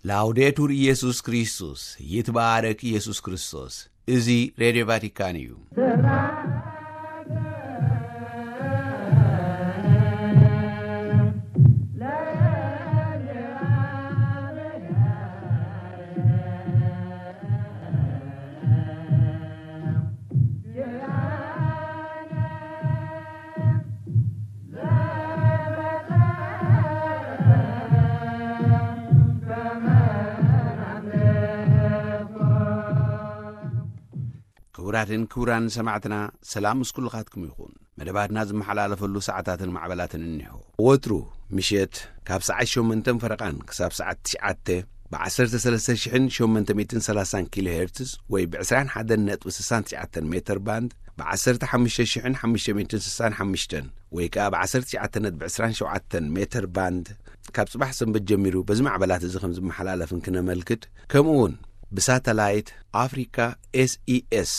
ላውዴቱር ኢየሱስ ክርስቶስ፣ ይትባረክ ኢየሱስ ክርስቶስ። እዚ ሬድዮ ቫቲካን እዩ። ክቡራትን ክቡራን ሰማዕትና፣ ሰላም ምስ ኩልኻትኩም ይኹን። መደባትና ዝመሓላለፈሉ ሰዓታትን ማዕበላትን እኒሆ። ወትሩ ምሸት ካብ ሰዓት ሸሞንተን ፈረቓን ክሳብ ሰዓት ትሽዓተ ብ ዓሰርተ ሰለስተ ሽሕን ሸሞንተ ሚእትን ሰላሳን ኪሎ ሄርትዝ ወይ ብ ዕስራን ሓደን ነጥቢ ስሳን ትሽዓተን ሜተር ባንድ፣ ብ ዓሰርተ ሓሙሽተ ሽሕን ሓሙሽተ ሚእትን ስሳን ሓሙሽተን ወይ ከኣ ብ ዓሰርተ ትሽዓተ ነጥቢ ዕስራን ሸውዓተን ሜተር ባንድ፣ ካብ ጽባሕ ሰንበት ጀሚሩ በዚ ማዕበላት እዚ ከም ዝመሓላለፍን ክነመልክት፣ ከምኡ እውን ብሳተላይት ኣፍሪካ ኤስኢኤስ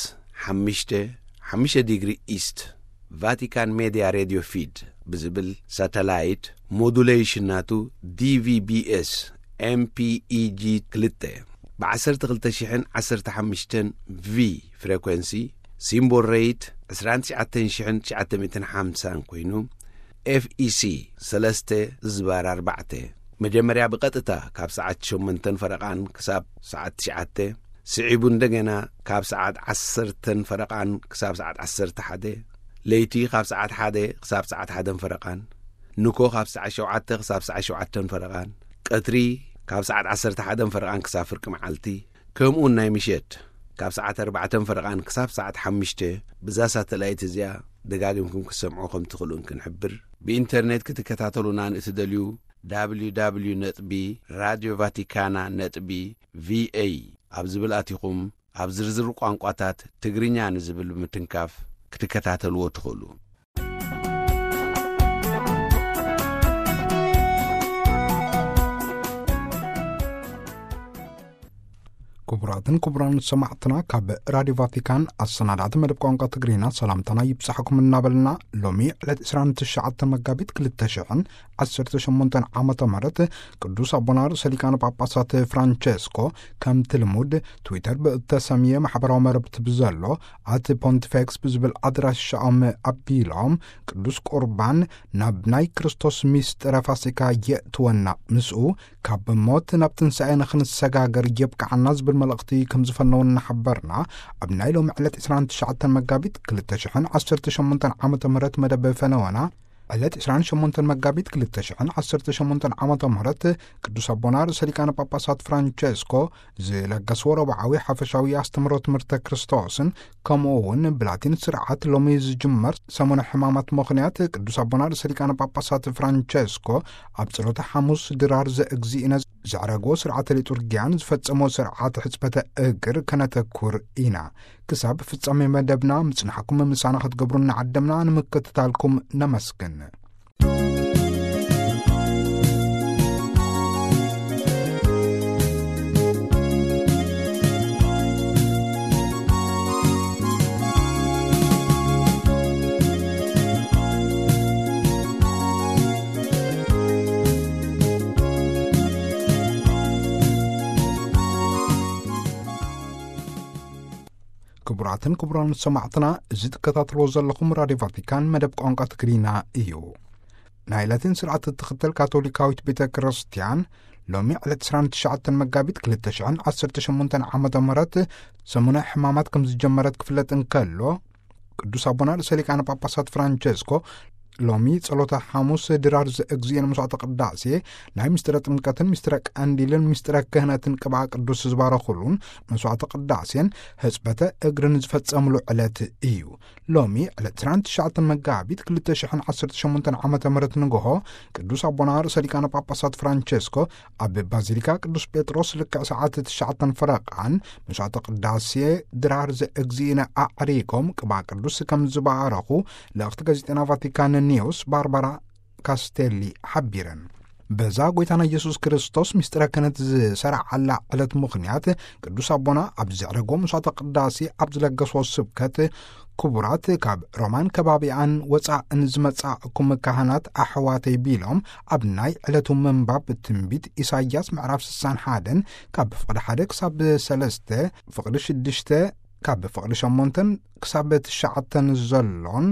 ሓሙሽተ፣ ሓሙሽተ ዲግሪ ኢስት፣ ቫቲካን ሜድያ ሬድዮ ፊድ ብዝብል ሳተላይት፣ ሞዱሌሽን ናቱ ዲቪቢኤስ ኤምፒኢጂ ክልተ፣ ብ ዓሰርተ ክልተ ሽሕን ዓሰርተ ሓሙሽተን ቪ ፍሬኮንሲ፣ ሲምቦል ሬት ዕስራን ትሽዓተን ሽሕን ትሽዓተ ሚእትን ሓምሳን ኮይኑ፣ ኤፍኢሲ ሰለስተ ዝባር ኣርባዕተ፣ መጀመርያ ብቐጥታ ካብ ሰዓት ሸሞንተን ፈረቓን ክሳብ ሰዓት ትሽዓተ፣ ስዒቡ እንደገና ካብ ሰዓት ዓሰርተን ፈረቓን ክሳብ ሰዓት ዓሰርተ ሓደ፣ ለይቲ ካብ ሰዓት ሓደ ክሳብ ሰዓት ሓደን ፈረቓን፣ ንኮ ካብ ሰዓት ሸውዓተ ክሳብ ሰዓት ሸውዓተን ፈረቓን፣ ቀትሪ ካብ ሰዓት ዓሰርተ ሓደን ፈረቓን ክሳብ ፍርቂ መዓልቲ፣ ከምኡውን ናይ ምሸት ካብ ሰዓት ኣርባዕተን ፈረቓን ክሳብ ሰዓት ሓሙሽተ፣ ብዛ ሳተላይት እዚኣ ደጋጊምኩም ክትሰምዑ ከም ትኽእሉን ክንሕብር። ብኢንተርኔት ክትከታተሉና ንእትደልዩ፣ ደብሊው ደብሊው ነጥቢ ራድዮ ቫቲካና ነጥቢ ቪኤ ኣብ ዝብል ኣቲኹም፣ ኣብ ዝርዝር ቋንቋታት ትግርኛ ንዝብል ብምትንካፍ ክትከታተልዎ ትኽእሉ። ክቡራትን ክቡራን ሰማዕትና፣ ካብ ራዲዮ ቫቲካን ኣሰናዳእቲ መደብ ቋንቋ ትግርኛ ሰላምታና ይብጻሕኩም እናበልና፣ ሎሚ ዕለት ዕስራን ትሽዓተን መጋቢት ክልተ ሽሕን ዓሰርተ ሸሞንተን ዓመተ ምህረት ቅዱስ ኣቦና ርእሰ ሊቃነ ጳጳሳት ፍራንቸስኮ፣ ከምቲ ልሙድ ትዊተር ብእተሰምየ ማሕበራዊ መረብቲ ብዘሎ ኣት ፖንቲፌክስ ብዝብል ኣድራሻኦም ኣቢሎም፣ ቅዱስ ቁርባን ናብ ናይ ክርስቶስ ሚስጥረ ፋሲካ የእትወና፣ ምስኡ ካብ ሞት ናብ ትንሳኤ ንኽንሰጋገር የብቅዓና ዝብል መልእኽቲ ከም ዝፈነው እናሓበርና፣ ኣብ ናይ ሎሚ ዕለት ዕስራን ትሽዓተን መጋቢት ክልተ ሽሕን ዓሰርተ ሸሞንተን ዓመተ ምህረት መደብ ፈነወና፣ ዕለት ዕስራን ሸሞንተን መጋቢት ክልተ ሽሕን ዓሰርተ ሸሞንተን ዓመተ ምህረት ቅዱስ ኣቦና ርእሰ ሊቃነ ጳጳሳት ፍራንቸስኮ ዝለገስዎ ረብዓዊ ሓፈሻዊ ኣስተምህሮ ትምህርተ ክርስቶስን፣ ከምኡ እውን ብላቲን ስርዓት ሎሚ ዝጅመር ሰሙነ ሕማማት ምኽንያት ቅዱስ ኣቦና ርእሰ ሊቃነ ጳጳሳት ፍራንቸስኮ ኣብ ጸሎተ ሓሙስ ድራር ዘእግዚእነ ዘዕረግዎ ስርዓተ ሊጡርጊያን ዝፈጸሞ ስርዓተ ሕጽበተ እግር ከነተኩር ኢና። ክሳብ ፍጻሜ መደብና ምጽናሕኩም ምሳና ክትገብሩ እናዓደምና ንምክትታልኩም ነመስግን። ክቡራትን ክቡራን ሰማዕትና፣ እዚ ትከታተልዎ ዘለኹም ራድዮ ቫቲካን መደብ ቋንቋ ትግርኛ እዩ። ናይ ላቲን ስርዓት እትኽተል ካቶሊካዊት ቤተ ክርስቲያን፣ ሎሚ ዕለት ዕስራን ትሽዓተን መጋቢት ክልተ ሽሕን ዓሰርተ ሸሞንተን ዓመተ ምህረት ሰሙነ ሕማማት ከም ዝጀመረት ክፍለጥ እንከሎ፣ ቅዱስ ኣቦና ርእሰ ሊቃነ ጳጳሳት ፍራንቸስኮ ሎሚ ጸሎተ ሓሙስ ድራር ዘእግዚእን መስዋዕተ ቅዳሴ፣ ናይ ምስጢረ ጥምቀትን ምስጢረ ቀንዲልን ምስጢረ ክህነትን ቅብኣ ቅዱስ ዝባረኹሉን መስዋዕተ ቅዳሴን ሕጽበተ እግርን ዝፈጸምሉ ዕለት እዩ። ሎሚ ዕለት ዕስራን ትሽዓተን መጋቢት ክልተ ሽሕን ዓሰርተ ሸሞንተን ዓመተ ምህረት ንግሆ ቅዱስ ኣቦና ርእሰ ሊቃነ ጳጳሳት ፍራንቸስኮ ኣብ ባዚሊካ ቅዱስ ጴጥሮስ ልክዕ ሰዓት ትሽዓተን ፈረቓን መስዋዕተ ቅዳሴ ድራር ዘእግዚእነ ኣዕሪጎም ቅብኣ ቅዱስ ከም ዝባረኹ ልእኽቲ ጋዜጠና ቫቲካን ኒውስ ባርባራ ካስቴሊ ሓቢረን። በዛ ጎይታና ኢየሱስ ክርስቶስ ምስጢረ ክህነት ዝሰራዓላ ዕለት ምኽንያት፣ ቅዱስ ኣቦና ኣብ ዘዕረጎ ምሳተ ቅዳሴ ኣብ ዝለገሶ ስብከት፣ ክቡራት፣ ካብ ሮማን ከባቢኣን ወጻእን ዝመጻእኩም ካህናት ኣሕዋተይ ቢሎም፣ ኣብ ናይ ዕለቱ ምንባብ ትንቢት ኢሳይያስ ምዕራፍ ስሳን ሓደን ካብ ፍቕዲ ሓደ ክሳብ ሰለስተ፣ ፍቕዲ ሽዱሽተ ካብ ፍቕዲ ሸሞንተን ክሳብ ትሽዓተን ዘሎን፣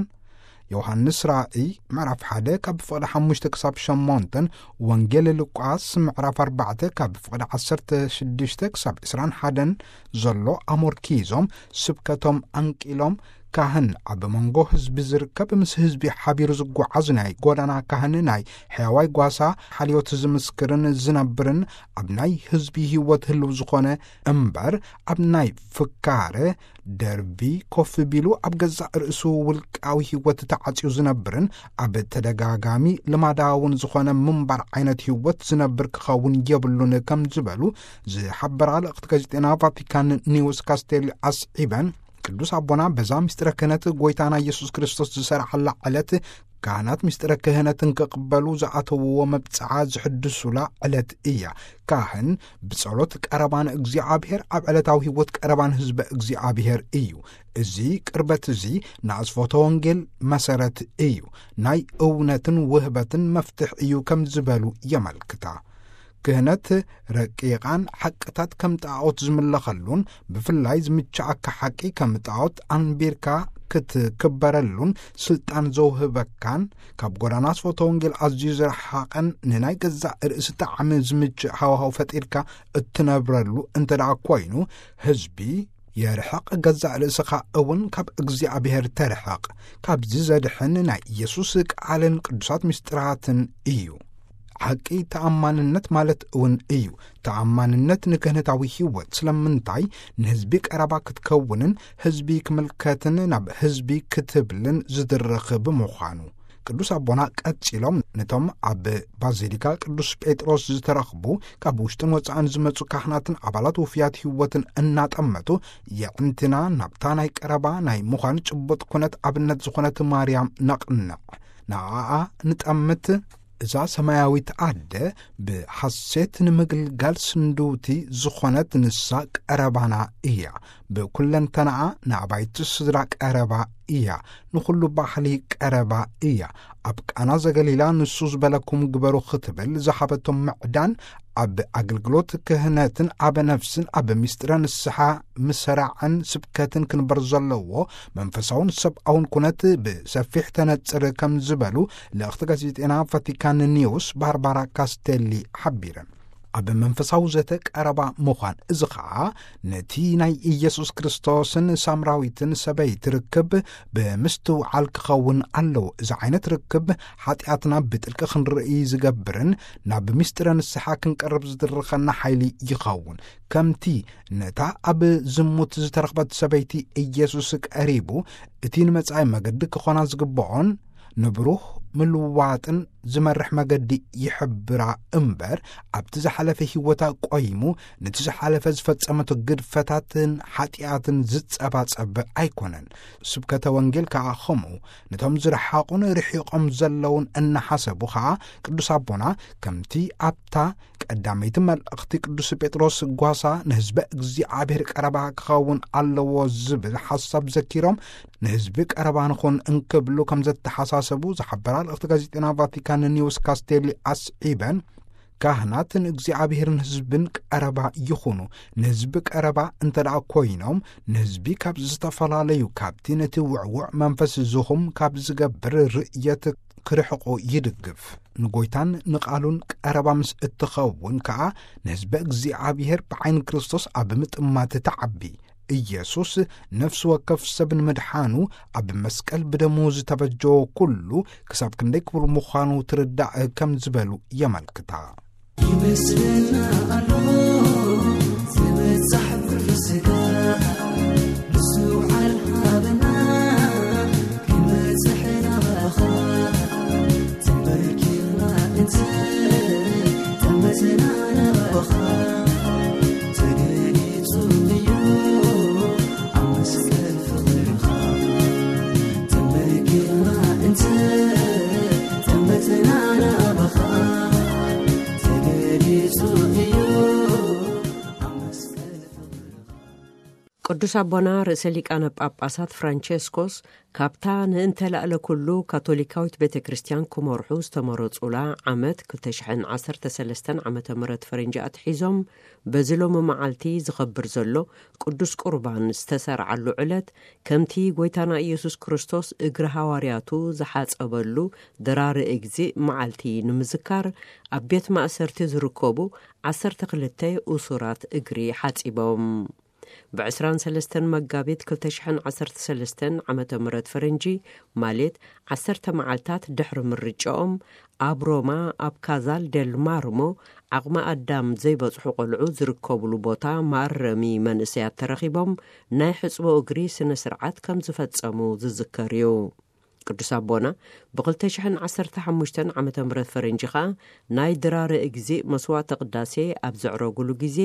ዮሃንስ ራእይ ምዕራፍ ሓደ ካብ ፍቕዲ ሓሙሽተ ክሳብ ሸሞንተን፣ ወንጌል ሉቃስ ምዕራፍ ኣርባዕተ ካብ ፍቕዲ ዓሰርተ ሽዱሽተ ክሳብ ዕስራን ሓደን ዘሎ ኣሞርኪዞም፣ ስብከቶም ኣንቂሎም፣ ካህን ኣብ መንጎ ህዝቢ ዝርከብ፣ ምስ ህዝቢ ሓቢሩ ዝጓዓዝ፣ ናይ ጎዳና ካህን፣ ናይ ሕያዋይ ጓሳ ሓልዮት ዝምስክርን ዝነብርን፣ ኣብ ናይ ህዝቢ ህይወት ህልው ዝኾነ እምበር፣ ኣብ ናይ ፍካረ ደርቢ ኮፍ ቢሉ ኣብ ገዛእ ርእሱ ውልቃዊ ህይወት ተዓጽዩ ዝነብርን፣ ኣብ ተደጋጋሚ ልማዳውን ዝኾነ ምንባር ዓይነት ህይወት ዝነብር ክኸውን የብሉን ከም ዝበሉ ዝሓበራ ልእኽቲ ጋዜጤና ቫቲካን ኒውስ ካስቴል ኣስዒበን፣ ቅዱስ ኣቦና በዛ ምስጢረ ክህነት ጎይታና ኢየሱስ ክርስቶስ ዝሰርዓላ ዕለት፣ ካህናት ምስጢረ ክህነትን ክቕበሉ ዝኣተውዎ መብጽዓ ዝሕድሱላ ዕለት እያ። ካህን ብጸሎት ቀረባ ንእግዚኣብሔር፣ ኣብ ዕለታዊ ህይወት ቀረባ ንህዝበ እግዚኣብሔር እዩ። እዚ ቅርበት እዚ ንኣስፎተ ወንጌል መሰረት እዩ፣ ናይ እውነትን ውህበትን መፍትሕ እዩ ከም ዝበሉ የመልክታ። ክህነት ረቂቓን ሓቅታት ከም ጣዖት ዝምለኸሉን፣ ብፍላይ ዝምችኣካ ሓቂ ከም ጣዖት ኣንቢርካ ክትክበረሉን ስልጣን ዘውህበካን፣ ካብ ጎዳና ኣስፎተ ወንጌል ኣዝዩ ዝረሓቐን፣ ንናይ ገዛእ ርእሲ ጣዕሚ ዝምችእ ሃዋህው ፈጢርካ እትነብረሉ እንተ ደኣ ኮይኑ፣ ህዝቢ የርሕቕ፣ ገዛእ ርእስኻ እውን ካብ እግዚኣብሔር ተርሕቕ። ካብዚ ዘድሕን ናይ ኢየሱስ ቃልን ቅዱሳት ምስጢራትን እዩ። ሓቂ ተኣማንነት ማለት እውን እዩ። ተኣማንነት ንክህነታዊ ህይወት። ስለምንታይ? ንህዝቢ ቀረባ ክትከውንን ህዝቢ ክምልከትን ናብ ህዝቢ ክትብልን ዝድርኽ ብምዃኑ። ቅዱስ ኣቦና ቀጺሎም፣ ነቶም ኣብ ባዚሊካ ቅዱስ ጴጥሮስ ዝተረኽቡ ካብ ውሽጥን ወጻእን ዝመጹ ካህናትን ኣባላት ውፍያት ህይወትን እናጠመቱ፣ የዕንትና ናብታ ናይ ቀረባ ናይ ምዃን ጭቡጥ ኩነት ኣብነት ዝኾነት ማርያም ነቕንዕ። ንኣኣ ንጠምት። እዛ ሰማያዊት ኣደ ብሓሴት ንምግልጋል ስንድውቲ ዝኾነት ንሳ ቀረባና እያ። ብኩለንተናኣ ንኣባይቲ ስድራ ቀረባ እያ። ንኹሉ ባህሊ ቀረባ እያ። ኣብ ቃና ዘገሊላ ንሱ ዝበለኩም ግበሩ ክትብል ዝሃበቶም ምዕዳን፣ ኣብ ኣገልግሎት ክህነትን ኣብ ነፍስን ኣብ ምስጢረ ንስሓ ምሰራዕን ስብከትን ክንበር ዘለዎ መንፈሳውን ሰብኣውን ኩነት ብሰፊሕ ተነጽር ከም ዝበሉ ልእኽቲ ጋዜጤና ቫቲካን ኒውስ ባርባራ ካስቴሊ ሓቢረን። ኣብ መንፈሳዊ ዘተ ቀረባ ምዃን፣ እዚ ኸኣ ነቲ ናይ ኢየሱስ ክርስቶስን ሳምራዊትን ሰበይቲ ርክብ ብምስትውዓል ክኸውን ኣለዎ። እዚ ዓይነት ርክብ ሓጢኣትና ብጥልቂ ክንርኢ ዝገብርን ናብ ምስጢረ ንስሓ ክንቀርብ ዝድርኸና ሓይሊ ይኸውን። ከምቲ ነታ ኣብ ዝሙት ዝተረኽበት ሰበይቲ ኢየሱስ ቀሪቡ፣ እቲ ንመጻኢ መገዲ ክኾና ዝግብኦን ንብሩህ ምልዋጥን ዝመርሕ መገዲ ይሕብራ እምበር፣ ኣብቲ ዝሓለፈ ህይወታ ቆይሙ ነቲ ዝሓለፈ ዝፈጸመቶ ግድፈታትን ሓጢኣትን ዝጸባጸብ ኣይኮነን። ስብከተ ወንጌል ከኣ ኸምኡ። ነቶም ዝረሓቑን ርሒቖም ዘለውን እናሓሰቡ ኸኣ ቅዱስ ኣቦና ከምቲ ኣብታ ቀዳመይቲ መልእኽቲ ቅዱስ ጴጥሮስ ጓሳ ንህዝበ እግዚኣብሔር ቀረባ ክኸውን ኣለዎ ዝብል ሓሳብ ዘኪሮም፣ ንህዝቢ ቀረባ ንኹን እንክብሉ ከም ዘተሓሳሰቡ ዝሓበራ ልእኽቲ ጋዜጠና ቫቲካን ኒውስ ካስቴሊ ኣስዒበን፣ ካህናት ንእግዚኣብሔርን ህዝብን ቀረባ ይኹኑ። ንህዝቢ ቀረባ እንተ ደኣ ኮይኖም፣ ንህዝቢ ካብ ዝተፈላለዩ፣ ካብቲ ነቲ ውዕዉዕ መንፈስ ዝኹም ካብ ዝገብር ርእየት ክርሕቑ ይድግፍ። ንጎይታን ንቓሉን ቀረባ ምስ እትኸውን ከኣ፣ ንህዝበ እግዚኣብሔር ብዓይኒ ክርስቶስ ኣብ ምጥማት ትዓቢ። ኢየሱስ ነፍሲ ወከፍ ሰብ ንምድሓኑ ኣብ መስቀል ብደሙ ዝተበጀዎ ኩሉ ክሳብ ክንደይ ክቡር ምዃኑ ትርዳእ ከም ዝበሉ የመልክታ። ይመስለና ኣሎ ዝብጻሕ ኩሉ ስጋ፣ ምስትውዓል ሃበና ክንበጽሕ ናባኻ። ተንበርኪኽና እንተ ጠመትና ናባኻ፣ ተገሊጹ እዩ ኣብ መስቀል ፍቕርኻ። ተንበርኪኽና እንተ ጠመትና ናባኻ፣ ቅዱስ ኣቦና ርእሰ ሊቃነ ጳጳሳት ፍራንቸስኮስ ካብታ ንእንተላእለ ኩሉ ካቶሊካዊት ቤተ ክርስቲያን ክመርሑ ዝተመረጹላ ዓመት ክልተ ሽሕን ዓሰርተ ሰለስተን ዓመተ ምህረት ፈረንጂ ኣትሒዞም፣ በዚ ሎሚ መዓልቲ ዝኸብር ዘሎ ቅዱስ ቁርባን ዝተሰርዓሉ ዕለት፣ ከምቲ ጎይታና ኢየሱስ ክርስቶስ እግሪ ሃዋርያቱ ዝሓጸበሉ ድራሪ እግዚእ መዓልቲ ንምዝካር፣ ኣብ ቤት ማእሰርቲ ዝርከቡ ዓሰርተ ክልተ እሱራት እግሪ ሓጺቦም። ብ ዕስራን ሰለስተን መጋቢት ክልተ ሽሕን ዓሰርተ ሰለስተን ዓመተ ምህረት ፈረንጂ፣ ማለት ዓሰርተ መዓልታት ድሕሪ ምርጫኦም፣ ኣብ ሮማ ኣብ ካዛል ደል ማርሞ ዓቕሚ ኣዳም ዘይበጽሑ ቆልዑ ዝርከብሉ ቦታ መኣረሚ መንእሰያት ተረኺቦም ናይ ሕጽቦ እግሪ ስነ ስርዓት ከም ዝፈጸሙ ዝዝከር እዩ። ቅዱስ ኣቦና ብ ክልተ ሽሕን ዓሰርተ ሓሙሽተን ዓመተ ምህረት ፈረንጂ ኸኣ ናይ ድራረ እግዚእ መስዋዕተ ቅዳሴ ኣብ ዘዕረጉሉ ግዜ፣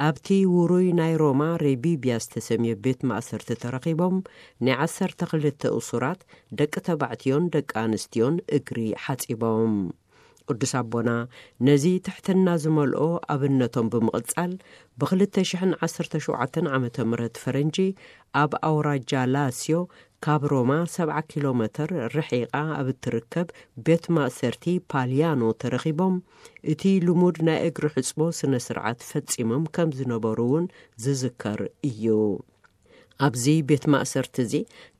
ኣብቲ ውሩይ ናይ ሮማ ሬቢብያ ዝተሰምየ ቤት ማእሰርቲ ተረኺቦም፣ ናይ ዓሰርተ ክልተ እሱራት ደቂ ተባዕትዮን ደቂ ኣንስትዮን እግሪ ሓጺቦም። ቅዱስ ኣቦና ነዚ ትሕትና ዝመልኦ ኣብነቶም ብምቕጻል፣ ብ ክልተ ሽሕን ዓሰርተ ሸውዓተን ዓመተ ምህረት ፈረንጂ ኣብ ኣውራጃ ላስዮ ካብ ሮማ ሰብዓ ኪሎ ሜተር ርሒቓ ኣብ እትርከብ ቤት ማእሰርቲ ፓልያኖ ተረኺቦም፣ እቲ ልሙድ ናይ እግሪ ሕጽቦ ስነ ስርዓት ፈጺሞም ከም ዝነበሩ እውን ዝዝከር እዩ። ኣብዚ ቤት ማእሰርቲ እዚ፣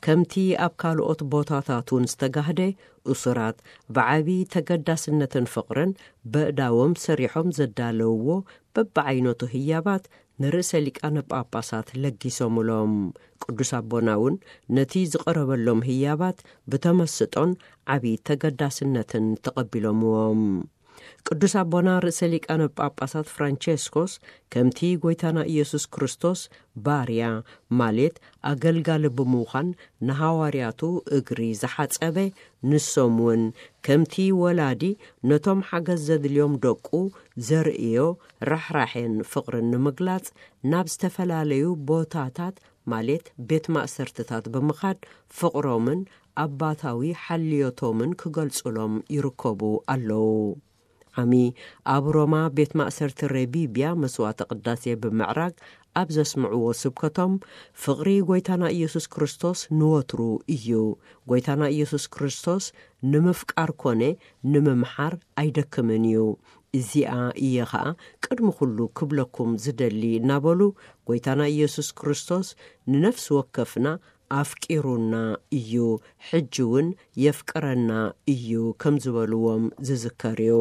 ከምቲ ኣብ ካልኦት ቦታታት እውን ዝተጋህደ፣ እሱራት ብዓቢ ተገዳስነትን ፍቕርን በእዳዎም ሰሪሖም ዘዳለውዎ በብዓይነቱ ህያባት ንርእሰ ሊቃነ ጳጳሳት ለጊሶምሎም። ቅዱስ ኣቦና እውን ነቲ ዝቐረበሎም ህያባት ብተመስጦን ዓቢ ተገዳስነትን ተቐቢሎምዎም። ቅዱስ ኣቦና ርእሰ ሊቃነ ጳጳሳት ፍራንቸስኮስ፣ ከምቲ ጎይታና ኢየሱስ ክርስቶስ ባርያ፣ ማለት ኣገልጋሊ ብምዃን ንሃዋርያቱ እግሪ ዝሓጸበ፣ ንሶም እውን ከምቲ ወላዲ ነቶም ሓገዝ ዘድልዮም ደቁ ዘርእዮ ራሕራሕን ፍቕርን ንምግላጽ ናብ ዝተፈላለዩ ቦታታት፣ ማለት ቤት ማእሰርትታት ብምኻድ ፍቕሮምን ኣባታዊ ሓልዮቶምን ክገልጹሎም ይርከቡ ኣለዉ። ዓሚ ኣብ ሮማ ቤት ማእሰርቲ ሬቢብያ መስዋዕተ ቅዳሴ ብምዕራግ ኣብ ዘስምዕዎ ስብከቶም፣ ፍቕሪ ጎይታና ኢየሱስ ክርስቶስ ንወትሩ እዩ። ጎይታና ኢየሱስ ክርስቶስ ንምፍቃር ኮነ ንምምሓር ኣይደክምን እዩ። እዚኣ እየ ኸኣ ቅድሚ ኩሉ ክብለኩም ዝደሊ እናበሉ፣ ጎይታና ኢየሱስ ክርስቶስ ንነፍሲ ወከፍና ኣፍቂሩና እዩ፣ ሕጂ እውን የፍቅረና እዩ ከም ዝበልዎም ዝዝከር እዩ።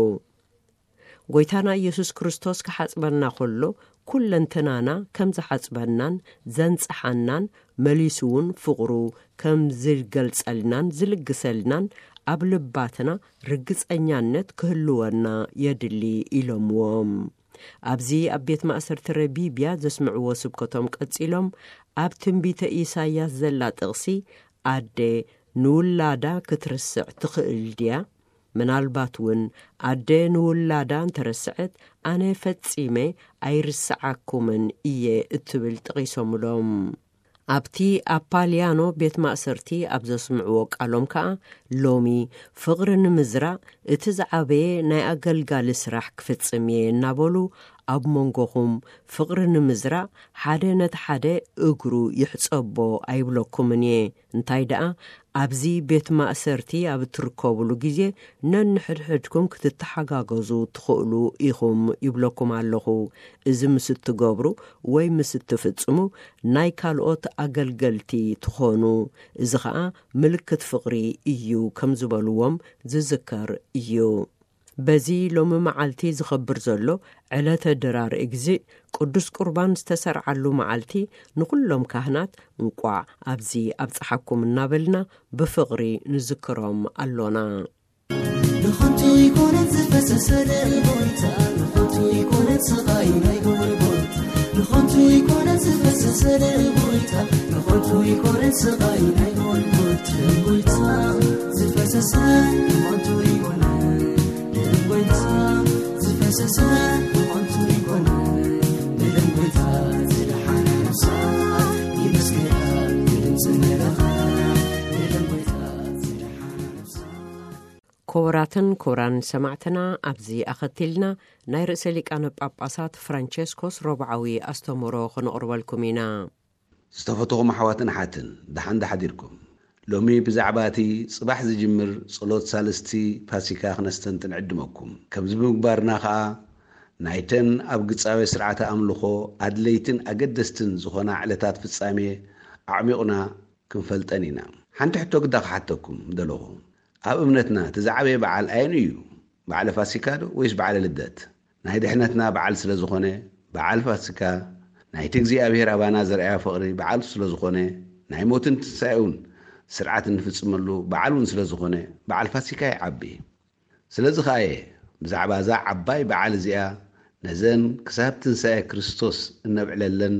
ጎይታና ኢየሱስ ክርስቶስ ክሓጽበና ከሎ፣ ኩለንተናና ከም ዝሓጽበናን ዘንጽሓናን፣ መሊሱ እውን ፍቕሩ ከም ዝገልጸልናን ዝልግሰልናን ኣብ ልባትና ርግጸኛነት ክህልወና የድሊ ኢሎምዎም። ኣብዚ ኣብ ቤት ማእሰርቲ ረቢብያ ዘስምዕዎ ስብከቶም ቀጺሎም፣ ኣብ ትንቢተ ኢሳይያስ ዘላ ጥቕሲ፣ ኣደ ንውላዳ ክትርስዕ ትኽእል ድያ? ምናልባት እውን ኣደ ንውላዳ እንተረስዐት፣ ኣነ ፈጺመ ኣይርስዓኩምን እየ እትብል ጠቒሶምሎም። ኣብቲ ኣብ ፓልያኖ ቤት ማእሰርቲ ኣብ ዘስምዕዎ ቃሎም ከኣ፣ ሎሚ ፍቕሪ ንምዝራእ እቲ ዝዓበየ ናይ ኣገልጋሊ ስራሕ ክፍጽም እየ እናበሉ፣ ኣብ መንጎኹም ፍቕሪ ንምዝራእ ሓደ ነቲ ሓደ እግሩ ይሕጸቦ ኣይብለኩምን እየ። እንታይ ደኣ፣ ኣብዚ ቤት ማእሰርቲ ኣብ እትርከቡሉ ግዜ ነንሕድሕድኩም ክትተሓጋገዙ ትኽእሉ ኢኹም ይብለኩም ኣለኹ። እዚ ምስ እትገብሩ ወይ ምስ እትፍጽሙ ናይ ካልኦት ኣገልገልቲ ትኾኑ። እዚ ኸኣ ምልክት ፍቕሪ እዩ ከም ዝበልዎም ዝዝከር እዩ። በዚ ሎሚ መዓልቲ ዝኸብር ዘሎ ዕለተ ድራር እግዚእ ቅዱስ ቁርባን ዝተሰርዓሉ መዓልቲ ንኹሎም ካህናት እንቋዕ ኣብዚ ኣብጽሓኩም እናበልና ብፍቕሪ ንዝክሮም ኣሎና። ንኸንቱ ይኮነት ዝፈሰሰ ደም ጎይታ፣ ንኸንቱ ይኮነት ስቓይ ናይ ጎልጎታ፣ ንኸንቱ ይኮነት ዝፈሰሰ ደም ጎይታ፣ ንኸንቱ ይኮነት ስቓይ ናይ ጎልጎታ። ደም ጎይታ ዝፈሰሰ ንኸንቱ ይኮነ፣ ደም ጎይታ ዝፈሰሰ ንኸንቱ ይኮነ፣ ንደም ጎይታ ዝደሓነ ነፍሳ ይመስገና፣ ንድምፂ መለኸ፣ ንደም ጎይታ ዝደሓነ ነፍሳ። ክቡራትን ክቡራን ሰማዕትና፣ ኣብዚ ኣኸቲልና ናይ ርእሰ ሊቃነ ጳጳሳት ፍራንቸስኮስ ረቡዓዊ ኣስተምህሮ ክነቕርበልኩም ኢና። ዝተፈተኹም ኣሕዋትን ኣሓትን፣ ደሓን ዶ ሓዲርኩም? ሎሚ ብዛዕባ እቲ ጽባሕ ዝጅምር ጸሎት ሳልስቲ ፋሲካ ክነስተንትን ዕድመኩም። ከምዚ ብምግባርና ኸኣ፣ ናይተን ኣብ ግጻዊ ስርዓተ ኣምልኾ ኣድለይትን ኣገደስትን ዝኾና ዕለታት ፍጻሜ ኣዕሚቑና ክንፈልጠን ኢና። ሓንቲ ሕቶ ግዳ ክሓተኩም ደለኹ። ኣብ እምነትና እቲ ዝዓበየ በዓል ኣየን እዩ? በዓለ ፋሲካ ዶ ወይስ በዓለ ልደት? ናይ ድሕነትና በዓል ስለ ዝኾነ፣ በዓል ፋሲካ ናይቲ እግዚኣብሔር ኣባና ዘርኣዮ ፍቕሪ በዓል ስለ ዝኾነ፣ ናይ ሞትን ትንሳኤኡን ስርዓት እንፍጽመሉ በዓል እውን ስለ ዝኾነ፣ በዓል ፋሲካ ይዓቢ። ስለዚ ኸኣ እየ ብዛዕባ እዛ ዓባይ በዓል እዚኣ፣ ነዘን ክሳብ ትንሳኤ ክርስቶስ እነብዕለለን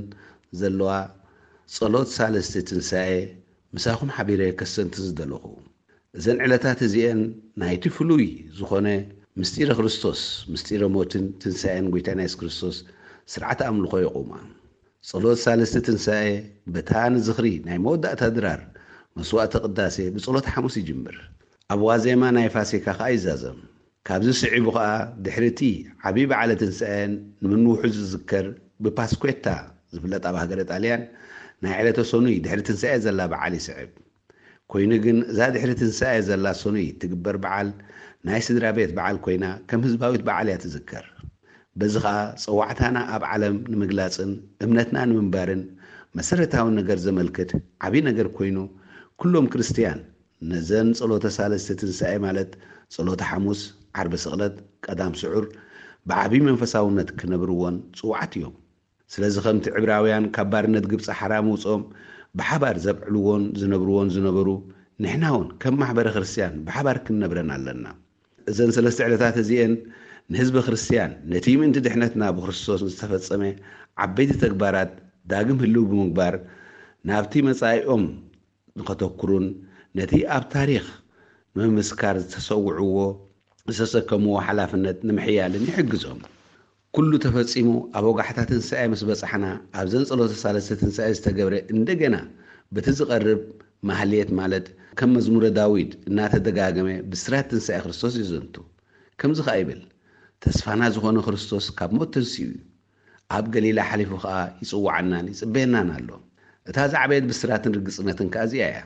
ዘለዋ ጸሎት ሳልስቲ ትንሳኤ ምሳኹም ሓቢረ ከስተንትን ዝደለኹ። እዘን ዕለታት እዚኤን ናይቲ ፍሉይ ዝኾነ ምስጢረ ክርስቶስ፣ ምስጢረ ሞትን ትንሳኤን ጎይታና የሱስ ክርስቶስ ስርዓተ ኣምልኾ የቑማ። ጸሎት ሳልስቲ ትንሳኤ በታ ንዝኽሪ ናይ መወዳእታ ድራር መስዋዕተ ቅዳሴ ብጸሎት ሓሙስ ይጅምር። ኣብ ዋዜማ ናይ ፋሲካ ኸኣ ይዛዘም። ካብዚ ስዒቡ ኸኣ ድሕሪ እቲ ዓቢ በዓለ ትንሳኤ ንምንውሑ ዝዝከር ብፓስኩዌታ ዝፍለጥ ኣብ ሃገረ ጣልያን ናይ ዕለተ ሰኑይ ድሕሪ ትንሳኤ ዘላ በዓል ይስዕብ። ኮይኑ ግን እዛ ድሕሪ ትንሳኤ ዘላ ሰኑይ ትግበር በዓል ናይ ስድራ ቤት በዓል ኮይና ከም ህዝባዊት በዓል እያ ትዝከር። በዚ ኸኣ ጸዋዕታና ኣብ ዓለም ንምግላጽን እምነትና ንምንባርን መሰረታዊ ነገር ዘመልክት ዓቢ ነገር ኮይኑ ኩሎም ክርስትያን ነዘን ጸሎተ ሳልስቲ ትንሳኤ ማለት ጸሎተ ሓሙስ፣ ዓርቢ ስቕለት፣ ቀዳም ስዑር ብዓቢ መንፈሳውነት ክነብርዎን ጽውዓት እዮም። ስለዚ ከምቲ ዕብራውያን ካብ ባርነት ግብጺ ሓራ ምውጽኦም ብሓባር ዘብዕልዎን ዝነብርዎን ዝነበሩ ንሕና እውን ከም ማሕበረ ክርስትያን ብሓባር ክንነብረን ኣለና። እዘን ሰለስተ ዕለታት እዚኤን ንህዝበ ክርስትያን ነቲ ምእንቲ ድሕነትና ብክርስቶስ ዝተፈጸመ ዓበይቲ ተግባራት ዳግም ህልው ብምግባር ናብቲ መጻኢኦም ንኸተኩሩን ነቲ ኣብ ታሪኽ ንምምስካር ዝተሰውዕዎ ዝተሰከምዎ ሓላፍነት ንምሕያልን ይሕግዞም። ኩሉ ተፈጺሙ ኣብ ወጋሕታ ትንሳኤ ምስ በጻሕና ኣብዘን ጸሎተ ሳልስቲ ትንሳኤ ዝተገብረ እንደገና በቲ ዝቐርብ ማህሌት ማለት ከም መዝሙረ ዳዊት እናተደጋገመ ብስራት ትንሳኤ ክርስቶስ ይዘንቱ። ከምዚ ኸኣ ይብል፣ ተስፋና ዝኾነ ክርስቶስ ካብ ሞት ተንሲኡ እዩ። ኣብ ገሊላ ሓሊፉ ኸኣ ይጽውዓናን ይጽበየናን ኣሎ። እታ ዝዓበየት ብስራትን ርግጽነትን ከኣ እዚኣ እያ።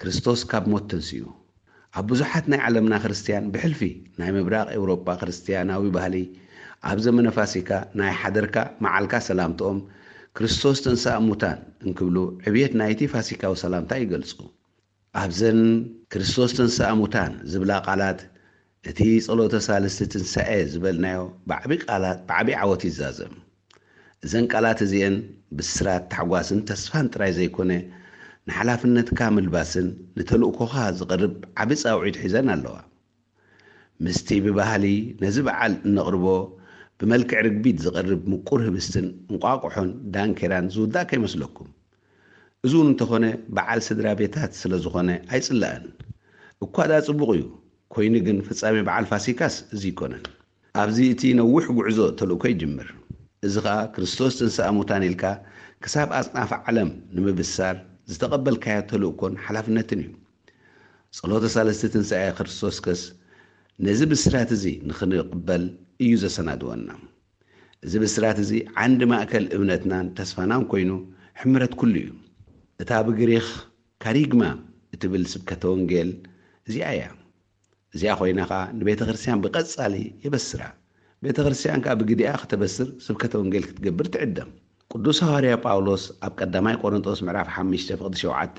ክርስቶስ ካብ ሞት ተንሲኡ። ኣብ ብዙሓት ናይ ዓለምና ክርስትያን ብሕልፊ ናይ ምብራቕ ኤውሮጳ ክርስትያናዊ ባህሊ ኣብ ዘመነ ፋሲካ ናይ ሓደርካ መዓልካ ሰላምትኦም ክርስቶስ ተንስኣ እሙታን እንክብሉ ዕብየት ናይቲ ፋሲካዊ ሰላምታ ይገልጹ። ኣብዘን ክርስቶስ ተንስኣ እሙታን ዝብላ ቃላት እቲ ጸሎተ ሳልስቲ ትንሳኤ ዝበልናዮ ብዓቢ ቃላት ብዓቢ ዓወት ይዛዘም። እዘን ቃላት እዚኤን ብስራት ታሕጓስን ተስፋን ጥራይ ዘይኮነ ንሓላፍነትካ ምልባስን ንተልእኮኻ ዝቐርብ ዓቢ ጻውዒት ሒዘን ኣለዋ። ምስቲ ብባህሊ ነዚ በዓል እነቕርቦ ብመልክዕ ርግቢት ዝቐርብ ምቁር ህብስትን እንቋቑሖን ዳንኬራን ዝውዳእ ከይመስለኩም። እዚ እውን እንተኾነ በዓል ስድራ ቤታት ስለ ዝኾነ ኣይጽላእን። እኳ ደኣ ጽቡቕ እዩ፣ ኮይኑ ግን ፍጻሜ በዓል ፋሲካስ እዚ ኣይኮነን። ኣብዚ እቲ ነዊሕ ጉዕዞ ተልእኮ ይጅምር። እዚ ኸኣ ክርስቶስ ትንሳእ ሙታን ኢልካ ክሳብ ኣጽናፈ ዓለም ንምብሳር ዝተቐበልካዮ ተልእኮን ሓላፍነትን እዩ። ጸሎተ ሳልስቲ ትንሳኤ ክርስቶስከስ ነዚ ብስራት እዚ ንኽንቕበል እዩ ዘሰናድወና። እዚ ብስራት እዚ ዓንዲ ማእከል እምነትናን ተስፋናን ኮይኑ ሕምረት ኩሉ እዩ። እታ ብግሪኽ ካሪግማ እትብል ስብከተ ወንጌል እዚኣ እያ። እዚኣ ኮይና ኸኣ ንቤተ ክርስቲያን ብቐጻሊ የበስራ። ቤተ ክርስቲያን ከኣ ብግዲኣ ክተበስር ስብከተ ወንጌል ክትገብር ትዕደም። ቅዱስ ሃዋርያ ጳውሎስ ኣብ ቀዳማይ ቆሮንጦስ ምዕራፍ ሓሙሽተ ፍቕዲ ሸውዓተ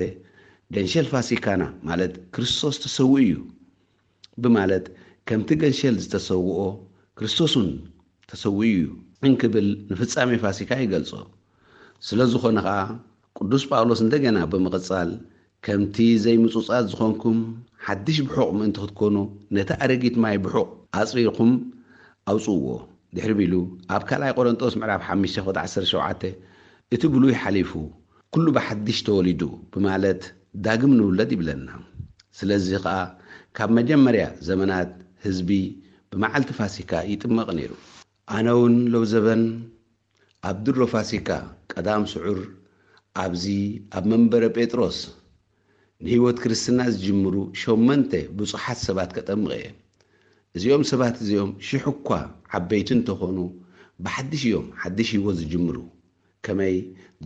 ገንሸል ፋሲካና ማለት ክርስቶስ ተሰዊኡ እዩ ብማለት ከምቲ ገንሸል ዝተሰውኦ ክርስቶስ እውን ተሰዊኡ እዩ እንክብል ንፍጻሜ ፋሲካ ይገልጾ። ስለ ዝኾነ ኸኣ ቅዱስ ጳውሎስ እንደገና ብምቕጻል ከምቲ ዘይምጹጻት ዝኾንኩም ሓድሽ ብሑቕ ምእንቲ ክትኮኑ ነቲ ኣረጊት ማይ ብሑቕ ኣጽሪርኩም ኣውጽእዎ። ድሕሪ ቢሉ ኣብ ካልኣይ ቆሮንጦስ ምዕራፍ ሓሙሽተ ፍቕዲ ዓሰርተ ሸውዓተ እቲ ብሉይ ሓሊፉ ኩሉ ብሓድሽ ተወሊዱ ብማለት ዳግም ንውለድ ይብለና። ስለዚ ኸኣ ካብ መጀመርያ ዘመናት ህዝቢ ብመዓልቲ ፋሲካ ይጥመቕ ነይሩ። ኣነ እውን ሎብዘበን ኣብ ድሮ ፋሲካ ቀዳም ስዑር ኣብዚ ኣብ መንበረ ጴጥሮስ ንህይወት ክርስትና ዝጅምሩ ሸመንተ ብጹሓት ሰባት ከጠምቕ እየ። እዚኦም ሰባት እዚኦም ሽሕ እኳ ዓበይቲ እንተኾኑ ብሓድሽ እዮም ሓድሽ ህይወት ዝጅምሩ። ከመይ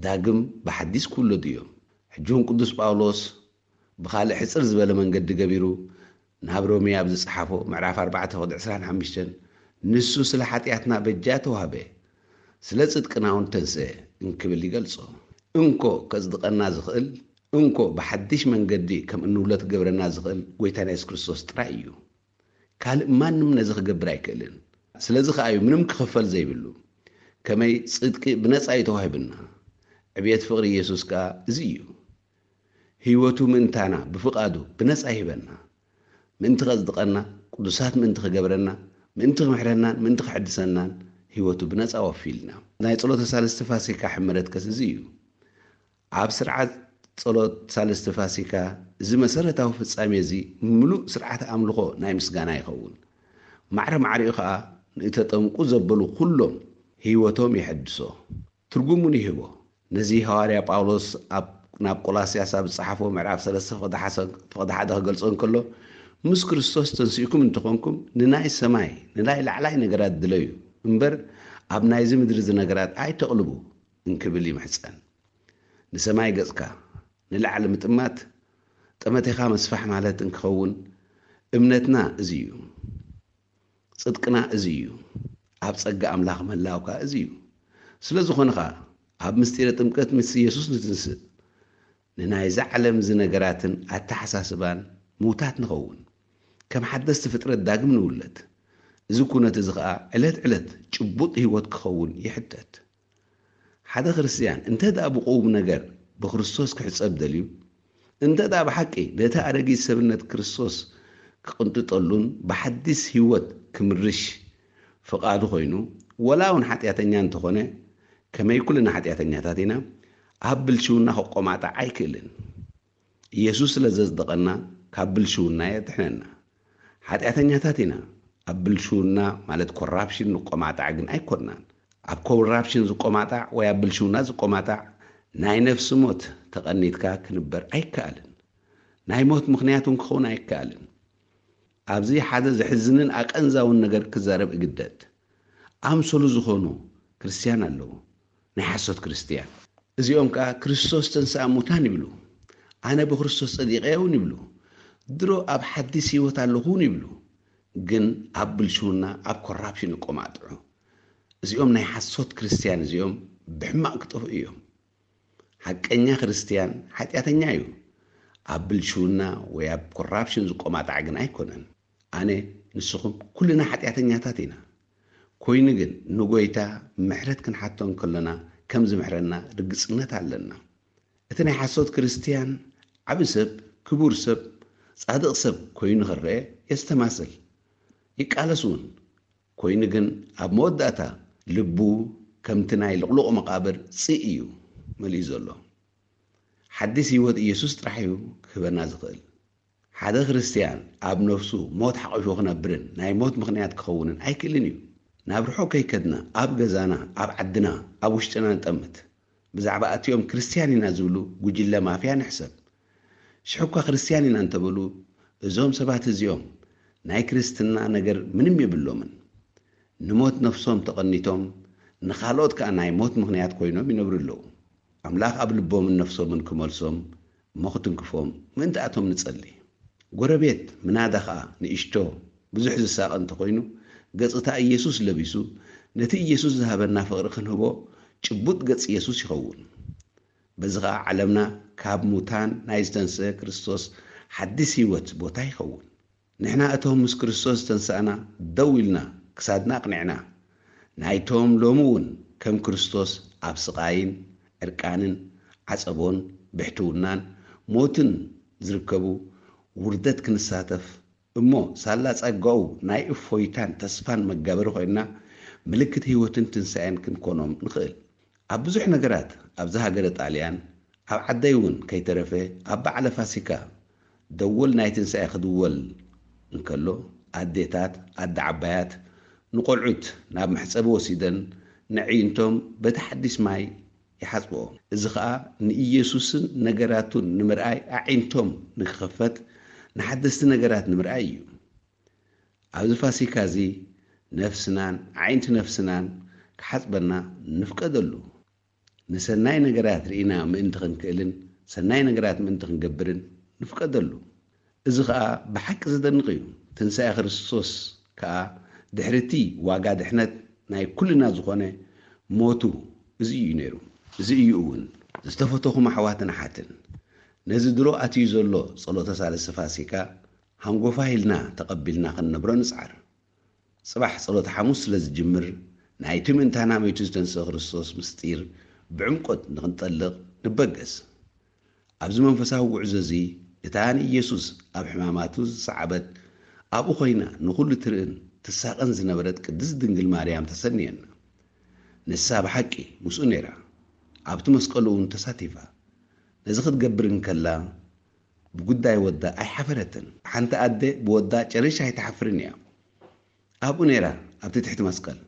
ዳግም ብሓዲስ ክውለዱ እዮም። ሕጂ እውን ቅዱስ ጳውሎስ ብኻልእ ሕጽር ዝበለ መንገዲ ገቢሩ ናብ ሮሜ ኣብ ዝጸሓፎ ምዕራፍ ኣርባዕተ ፍቕዲ ዕስራን ሓሙሽተን፣ "ንሱ ስለ ሓጢኣትና በጃ ተዋህበ፣ ስለ ጽድቅና እውን ተንስአ" እንክብል ይገልጾ። እንኮ ከጽድቐና ዝኽእል፣ እንኮ ብሓድሽ መንገዲ ከም እንውለድ ክገብረና ዝኽእል ጐይታና የሱስ ክርስቶስ ጥራይ እዩ። ካልእ ማንም ነዚ ክገብር ኣይክእልን። ስለዚ ከኣ እዩ ምንም ክኽፈል ዘይብሉ። ከመይ ጽድቂ ብነጻ እዩ ተዋሂብና። ዕብየት ፍቕሪ ኢየሱስ ከኣ እዚ እዩ። ህይወቱ ምእንታና ብፍቓዱ ብነጻ ይህበና። ምእንቲ ከጽድቐና፣ ቅዱሳት ምእንቲ ክገብረና፣ ምእንቲ ክምሕረናን ምእንቲ ክሕድሰናን ህይወቱ ብነጻ ወፊልና። ናይ ጸሎተ ሳልስቲ ፋሲካ ሕመረት ከስ እዚ እዩ። ኣብ ስርዓት ጸሎት ሳልስቲ ፋሲካ እዚ መሰረታዊ ፍጻሜ እዚ ምሉእ ስርዓተ ኣምልኾ ናይ ምስጋና ይኸውን። ማዕረ ማዕሪኡ ኸኣ ንእተጠምቁ ዘበሉ ኩሎም ህይወቶም የሐድሶ፣ ትርጉም እውን ይህቦ። ነዚ ሃዋርያ ጳውሎስ ኣብ፣ ናብ ቆላስያስ ኣብ ዝጸሓፎ ምዕራፍ ሰለስተ ፍቕዲ ሓሰ-፣ ፍቕዲ ሓደ ክገልጾ እንከሎ፣ "ምስ ክርስቶስ ተንሲእኩም እንተኾንኩም ንናይ ሰማይ፣ ንናይ ላዕላይ ነገራት ድለዩ እምበር ኣብ ናይዚ ምድሪ እዚ ነገራት ኣይተቕልቡ" እንክብል ይምሕጸን። ንሰማይ ገጽካ ንላዕሊ ምጥማት ጠመቴኻ መስፋሕ ማለት እንክኸውን እምነትና እዚ እዩ። ጽድቅና እዚ እዩ። ኣብ ጸጋ ኣምላኽ ምህላው ከኣ እዚ እዩ። ስለ ዝኾነ ኸኣ ኣብ ምስጢረ ጥምቀት ምስ ኢየሱስ ንትንስእ። ንናይዛ ዓለም እዚ ነገራትን ኣተሓሳስባን ምውታት ንኸውን። ከም ሓደስቲ ፍጥረት ዳግም ንውለድ። እዚ ኩነት እዚ ኸኣ ዕለት ዕለት ጭቡጥ ህይወት ክኸውን ይሕተት። ሓደ ክርስትያን እንተ ደኣ ብቁም ነገር ብክርስቶስ ክሕጸብ ደልዩ፣ እንተ ደኣ ብሓቂ ነቲ ኣረጊት ሰብነት ክርስቶስ ክቕንጥጠሉን ብሓዲስ ህይወት ክምርሽ ፍቓዱ ኮይኑ፣ ወላ እውን ሓጢኣተኛ እንተኾነ፣ ከመይ ኩልና ሓጢኣተኛታት ኢና፣ ኣብ ብልሽውና ክቆማጣዕ ኣይክእልን። ኢየሱስ ስለ ዘጽደቐና ካብ ብልሽውና የድሕነና። ሓጢኣተኛታት ኢና። ኣብ ብልሽውና ማለት ኮራፕሽን ንቆማጣዕ ግን ኣይኮንናን። ኣብ ኮራፕሽን ዝቆማጣዕ ወይ ኣብ ብልሽውና ዝቆማጣዕ ናይ ነፍሲ ሞት ተቐኒትካ ክንበር ኣይከኣልን። ናይ ሞት ምኽንያት እውን ክኸውን ኣይከኣልን። ኣብዚ ሓደ ዘሕዝንን ኣቐንዛውን ነገር ክዛረብ እግደድ። ኣምሰሉ ዝኾኑ ክርስትያን ኣለዉ፣ ናይ ሓሶት ክርስትያን። እዚኦም ከኣ ክርስቶስ ተንሥኣ እሙታን ይብሉ፣ ኣነ ብክርስቶስ ጸዲቐ እውን ይብሉ፣ ድሮ ኣብ ሓዲስ ህይወት ኣለኹ እውን ይብሉ፣ ግን ኣብ ብልሽውና ኣብ ኮራፕሽን ይቆማጥዑ። እዚኦም ናይ ሓሶት ክርስትያን እዚኦም ብሕማቕ ክጠፍኡ እዮም። ሓቀኛ ክርስትያን ሓጢኣተኛ እዩ። ኣብ ብልሽውና ወይ ኣብ ኮራፕሽን ዝቆማጣዕ ግን ኣይኮነን። ኣነ፣ ንስኹም ኩልና ሓጢኣተኛታት ኢና። ኮይኑ ግን ንጎይታ ምሕረት ክንሓቶ እንከለና ከም ዝምሕረና ርግጽነት ኣለና። እቲ ናይ ሓሶት ክርስትያን ዓቢ ሰብ፣ ክቡር ሰብ፣ ጻድቕ ሰብ ኮይኑ ክረአ የስተማስል፣ ይቃለስ እውን። ኮይኑ ግን ኣብ መወዳእታ ልቡ ከምቲ ናይ ልቕሉቕ መቓብር ጽእ እዩ መሊኡ ዘሎ። ሓዲስ ህይወት ኢየሱስ ጥራሕ እዩ ክህበና ዝኽእል። ሓደ ክርስትያን ኣብ ነፍሱ ሞት ሓቒፉ ክነብርን ናይ ሞት ምኽንያት ክኸውንን ኣይክእልን እዩ። ናብ ርሑቕ ከይከድና ኣብ ገዛና፣ ኣብ ዓድና፣ ኣብ ውሽጥና ንጠምት። ብዛዕባ እቲኦም ክርስትያን ኢና ዝብሉ ጉጅለ ማፍያ ንሕሰብ። ሽሕኳ ክርስትያን ኢና እንተበሉ፣ እዞም ሰባት እዚኦም ናይ ክርስትና ነገር ምንም የብሎምን። ንሞት ነፍሶም ተቐኒቶም፣ ንኻልኦት ከኣ ናይ ሞት ምኽንያት ኮይኖም ይነብሩ ኣለዉ። ኣምላኽ ኣብ ልቦምን ነፍሶምን ክመልሶም እሞ ክትንክፎም ምእንታኣቶም ንጸሊ። ጎረቤት ምናዳ ኸኣ ንእሽቶ ብዙሕ ዝሳቐ እንተኾይኑ፣ ገጽታ ኢየሱስ ለቢሱ፣ ነቲ ኢየሱስ ዝሃበና ፍቕሪ ክንህቦ ጭቡጥ ገጽ ኢየሱስ ይኸውን። በዚ ኸኣ ዓለምና ካብ ሙታን ናይ ዝተንስአ ክርስቶስ ሓዲስ ህይወት ቦታ ይኸውን። ንሕና እቶም ምስ ክርስቶስ ዝተንሳእና ደው ኢልና ክሳድና ኣቕኒዕና፣ ናይቶም ሎሚ እውን ከም ክርስቶስ ኣብ ስቓይን ዕርቃንን ዓጸቦን ብሕትውናን ሞትን ዝርከቡ ውርደት ክንሳተፍ እሞ ሳላ ጸጋኡ ናይ እፎይታን ተስፋን መጋበሪ ኮይንና ምልክት ህይወትን ትንሳኤን ክንኮኖም ንኽእል። ኣብ ብዙሕ ነገራት ኣብዚ ሃገረ ጣልያን ኣብ ዓደይ እውን ከይተረፈ ኣብ በዓለ ፋሲካ ደወል ናይ ትንሳኤ ክድወል እንከሎ ኣዴታት ኣደ ዓባያት ንቆልዑት ናብ መሕጸቢ ወሲደን ነዕይንቶም በቲ ሓዲስ ማይ ይሓጽብኦ። እዚ ኸኣ ንኢየሱስን ነገራቱን ንምርኣይ ኣዒንቶም ንክኸፈት ንሓደስቲ ነገራት ንምርኣይ እዩ። ኣብዚ ፋሲካ እዚ ነፍስናን ኣዒንቲ ነፍስናን ክሓጽበና ንፍቀደሉ። ንሰናይ ነገራት ርኢና ምእንቲ ክንክእልን ሰናይ ነገራት ምእንቲ ክንገብርን ንፍቀደሉ። እዚ ኸኣ ብሓቂ ዘደንቕ እዩ። ትንሳኤ ክርስቶስ ከኣ ድሕሪ እቲ ዋጋ ድሕነት ናይ ኩልና ዝኾነ ሞቱ፣ እዚ እዩ ነይሩ። እዚ እዩ እውን። ዝተፈተኹም ኣሕዋትን ኣሓትን፣ ነዚ ድሮ ኣትዩ ዘሎ ጸሎተ ሳልስቲ ፋሲካ ሃንጎፋ ኢልና ተቐቢልና ክንነብሮ ንጽዓር። ጽባሕ ጸሎተ ሓሙስ ስለ ዝጅምር፣ ናይቲ ምእንታና መይቱ ዝተንስአ ክርስቶስ ምስጢር ብዕምቆት ንኽንጠልቕ ንበገስ። ኣብዚ መንፈሳዊ ጉዕዞ እዚ፣ እታ ንኢየሱስ ኣብ ሕማማቱ ዝሰዓበት፣ ኣብኡ ኮይና ንኹሉ ትርእን ትሳቐን ዝነበረት ቅድስት ድንግል ማርያም ተሰንየና። ንሳ ብሓቂ ምስኡ ነይራ። ኣብቲ መስቀሉ እውን ተሳቲፋ። ነዚ ክትገብር እንከላ፣ ብጉዳይ ወዳ ኣይሓፈረትን። ሓንቲ ኣደ ብወዳ ጨሪሻ ኣይትሓፍርን እያ። ኣብኡ ነይራ፣ ኣብቲ ትሕቲ መስቀል።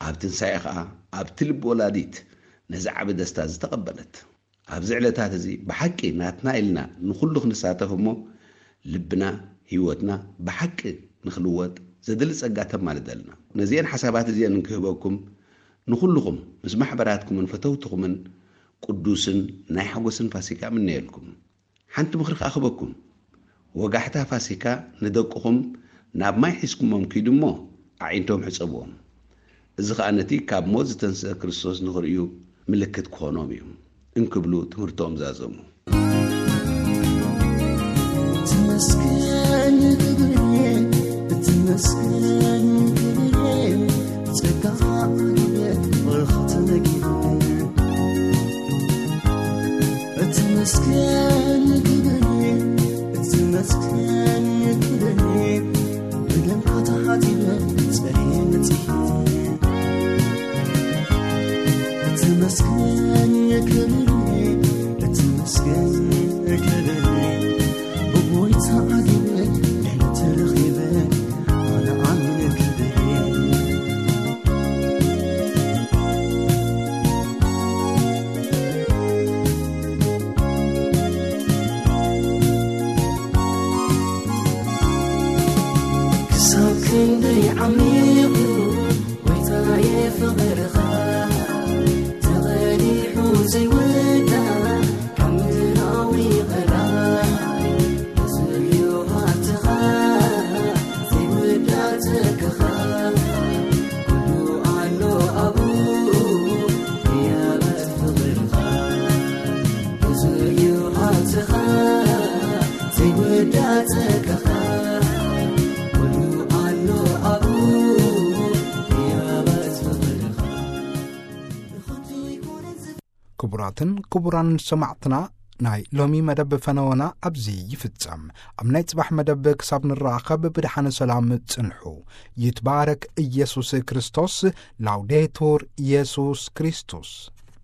ኣብ ትንሳኤ ኸኣ፣ ኣብቲ ልቢ ወላዲት ነዚ ዓቢ ደስታ ዝተቐበለት። ኣብዚ ዕለታት እዚ ብሓቂ ናትና ኢልና ንኹሉ ክንሳተፍ እሞ፣ ልብና፣ ህይወትና ብሓቂ ንኽልወጥ ዘድሊ ጸጋ ተማልደልና። ነዚአን ሓሳባት እዚአን እንክህበኩም፣ ንኹልኹም ምስ ማሕበራትኩምን ፈተውትኹምን ቅዱስን ናይ ሓጎስን ፋሲካ እምነየልኩም። ሓንቲ ምኽሪ ከኣ ክህበኩም። ወጋሕታ ፋሲካ ንደቅኹም ናብ ማይ ሒዝኩሞም ኪዱ እሞ ኣዒንቶም ሕጸብዎም። እዚ ኸኣ ነቲ ካብ ሞት ዝተንስአ ክርስቶስ ንኽርእዩ ምልክት ክኾኖም እዩ እንክብሉ ትምህርቶም ዛዘሙ። ትመስገን ክብርዬ፣ ትመስገን ክብርዬ፣ ጸጋ ዓብየ በረኸት ነጊቡ። ትመስገን ክብርዬ፣ ትመስገን ክብርዬ፣ ብደምካ ተሓጺበ ጸርየ መጺኤ። ትመስገን ክብርዬ፣ ትመስገን ክብርዬ፣ ብጎይታ ዓጊበ ዕረፍቲ ረኺበ ኣነ ኣሚነ ክብርዬ። ክሳብ ክንደይ ዓሚቑ ጎይታዬ ፍቕርኻ፣ ተቐዲሑ ዘይውዳእ ካብ ምድራዊ ቀላይ፣ ብዙሕ እዩ ሃብትኻ ዘይውዳእ ጸጋኻ፣ ኩሉ ኣሎ ኣብኡ ህያባት ፍቕርኻ። ብዙሕ እዩ ሃብትኻ፣ ዘይውዳእ ጸጋኻ፣ ኩሉ ኣሎ ኣብኡ ህያባት ፍቕርኻ። ክቡራትን ክቡራን ሰማዕትና፣ ናይ ሎሚ መደብ ፈነወና ኣብዚ ይፍጸም። ኣብ ናይ ጽባሕ መደብ ክሳብ ንራኸብ ብድሓነ ሰላም ጽንሑ። ይትባረክ ኢየሱስ ክርስቶስ። ላውዴቱር ኢየሱስ ክርስቶስ።